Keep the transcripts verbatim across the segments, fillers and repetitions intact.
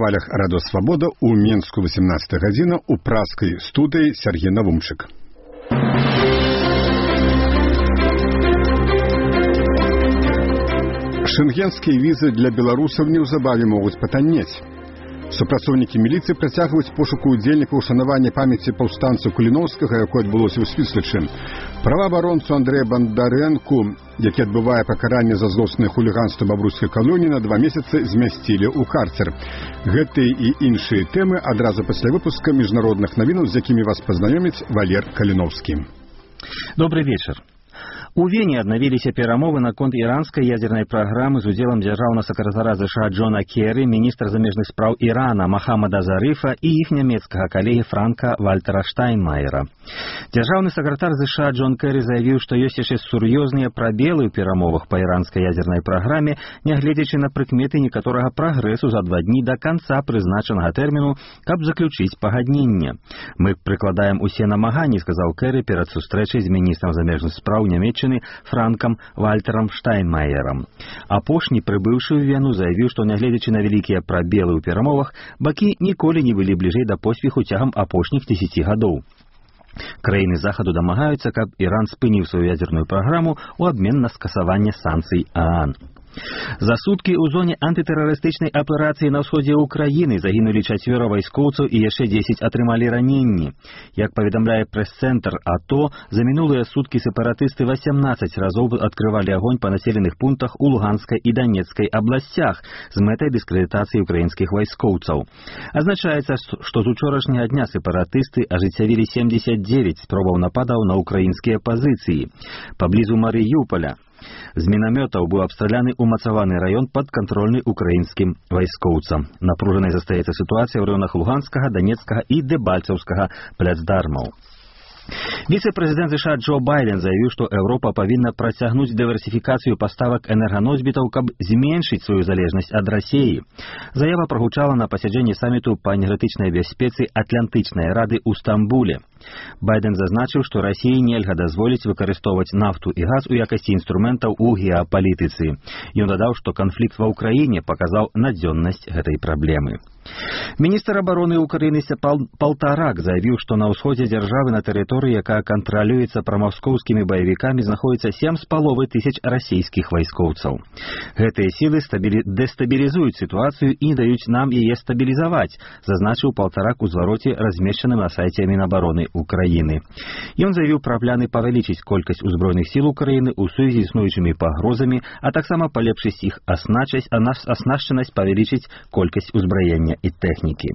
хвалях Радио Свобода у Менску восемнадцатая гадзіна у праскай студыі Сергей Навумчык. Шенгенскія візы для беларусаў неўзабаве могуць патаннець. Супрацоўнікі міліцыі працягваюць пошуку удзельнікаў ушанавання памяці паўстанцу Каліноўскага, якое адбылося ў Свіслачы. Праваабаронцу Андрэя Бандарэнку, які адбывае пакаранне за злоснае хуліганства бабруйскай калоніі, на два месяцы змясцілі ў карцер. Гэтыя і іншыя тэмы адразу пасля выпуска міжнародных навінаў, з якімі вас пазнаёміць Валер Каліноўскі. Добрый вечер. У Вене аднавіліся перамовы наконт іранскай ядзернай праграмы з удзелам дзяржаўнага сакратара ЗША Джона Керрі, міністра замежных спраў Ірана Махамада Зарыфа і іх нямецкага калегі Франка Вальтера Штайнмаера. Дзяржаўны сакратар ЗША Джон Керрі заявіў, што ёсць яшчэ сур'ёзныя прабелы ў перамовах па іранскай ядзернай праграме, нягледзячы на прыкметы некаторага прагрэсу за два дні да канца прызначанага тэрміну, каб заключыць пагадненне. Мы прыкладаем усе намаганні, сказаў Керрі перад сустрэчай з міністрам замежных спраў Нямецчыны Франкам Вальтерам Штайнмаерам. Апошні, прыбыўшы ў Вену, заявіў, што нягледзячы на вялікія прабелы ў перамовах, бакі ніколі не былі бліжэй да поспеху цягам апошніх дзесяці гадоў. Краіны захаду дамагаюцца, каб Іран спыніў сваю ядзерную праграму ў абмен на скасаванне санкцый ААН. За суткі ў зоне антытэрарыстычнай аперацыі на ўсходзе ўкраіны загінулі чацвёра вайскоўцаў і яшчэ дзесяць атрымалі раненні. Як паведамляе прэс-цэнтр АТО, за мінулыя суткі сепаратысты васямнаццаць разоў адкрывалі агонь па населеных пунктах у Луганскай і Данецкай абласцях з мэтай дыскрэдытацыі украінскіх вайскоўцаў. Азначаецца, што з учорашняга дня сепаратысты ажыццявілі семдзесят дзевяць спробаў нападаў на украінскія пазіцыі. Паблізу Марыюполя з мінамётаў быў абстраляны умацаваны раён падкантрольны украінскім вайскоўцам. Напружанай застаецца сітуацыя ў раёнах Луганскага, Данецкага і Дэбальцаўскага пляцдармаў. Віцэ-прэзідэнт ЗША Джо Байден заявіў, што Еўропа павінна працягнуць дыверсіфікацыю паставак энерганосьбітаў, каб зменшыць сваю залежнасць ад Расіі. Заява прагучала на пасяджэнні саміту па энергетычнай бяспецы Атлантычнай рады ў Стамбуле. Байден зазначыў, што Расіі нельга дазволіць выкарыстоўваць нафту і газ у якасці інструментаў у геапалітыцы. Ён дадаў, што канфлікт ва ўкраіне паказаў надзённасць гэтай праблемы. Міністр абароны ўкраіны Палтарак заявіў, што на ўсходзе дзяржавы на тэрыторыі, якая кантралюецца прамаскоўскімі баевікамі, знаходзіцца сем з паловай тысяч расійскіх вайскоўцаў. Гэтыя сілы дэстабілізуюць сітуацыю і не даюць нам яе стабілізаваць, зазначыў Палтарак у звароце, размешчаным на сайце Мінабароны Украіны. Ён заявіў пра планы павялічыць колькасць узброеных сіл Украіны ў сувязі з існуючымі пагрозамі, а таксама палепшыць іх аснашчанасць, павялічыць колькасць узбраення і тэхнікі.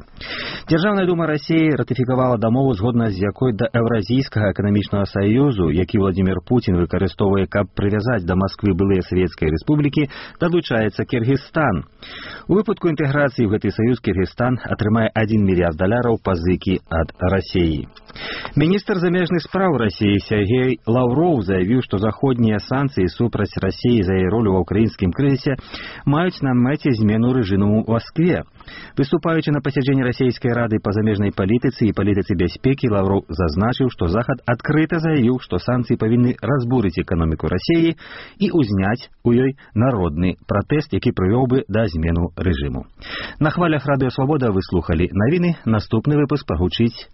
Дзяржаўная дума Расіі ратыфікавала дамову, згодна з якой да Еўразійскага эканамічнага саюзу, які Владзімір Пуцін выкарыстоўвае, каб прывязаць да Масквы былыя савецкія рэспублікі, далучаецца Кіргізстан. У выпадку інтэграцыі ў гэты саюз Кіргізстан атрымае адзін мільярд даляраў пазыкі ад Расіі. Міністр замежных спраў Расіі Сергей Лаўроў заявіў, што заходнія санкцыі супраць Расіі за яе ролю ва ўкраінскім крызісе маюць на мэце змену рэжыму ў Маскве. Выступаючы на пасяджэнні расійскай рады па замежнай палітыцы і палітыцы бяспекі, Лаўроў зазначыў, што Захад адкрыта заявіў, што санкцыі павінны разбурыць эканоміку Расіі і ўзняць у ёй народны пратэст, які прывёў бы да змену рэжыму. На хвалях Радыё Свабода вы слухалі навіны. Наступны выпуск прагучыць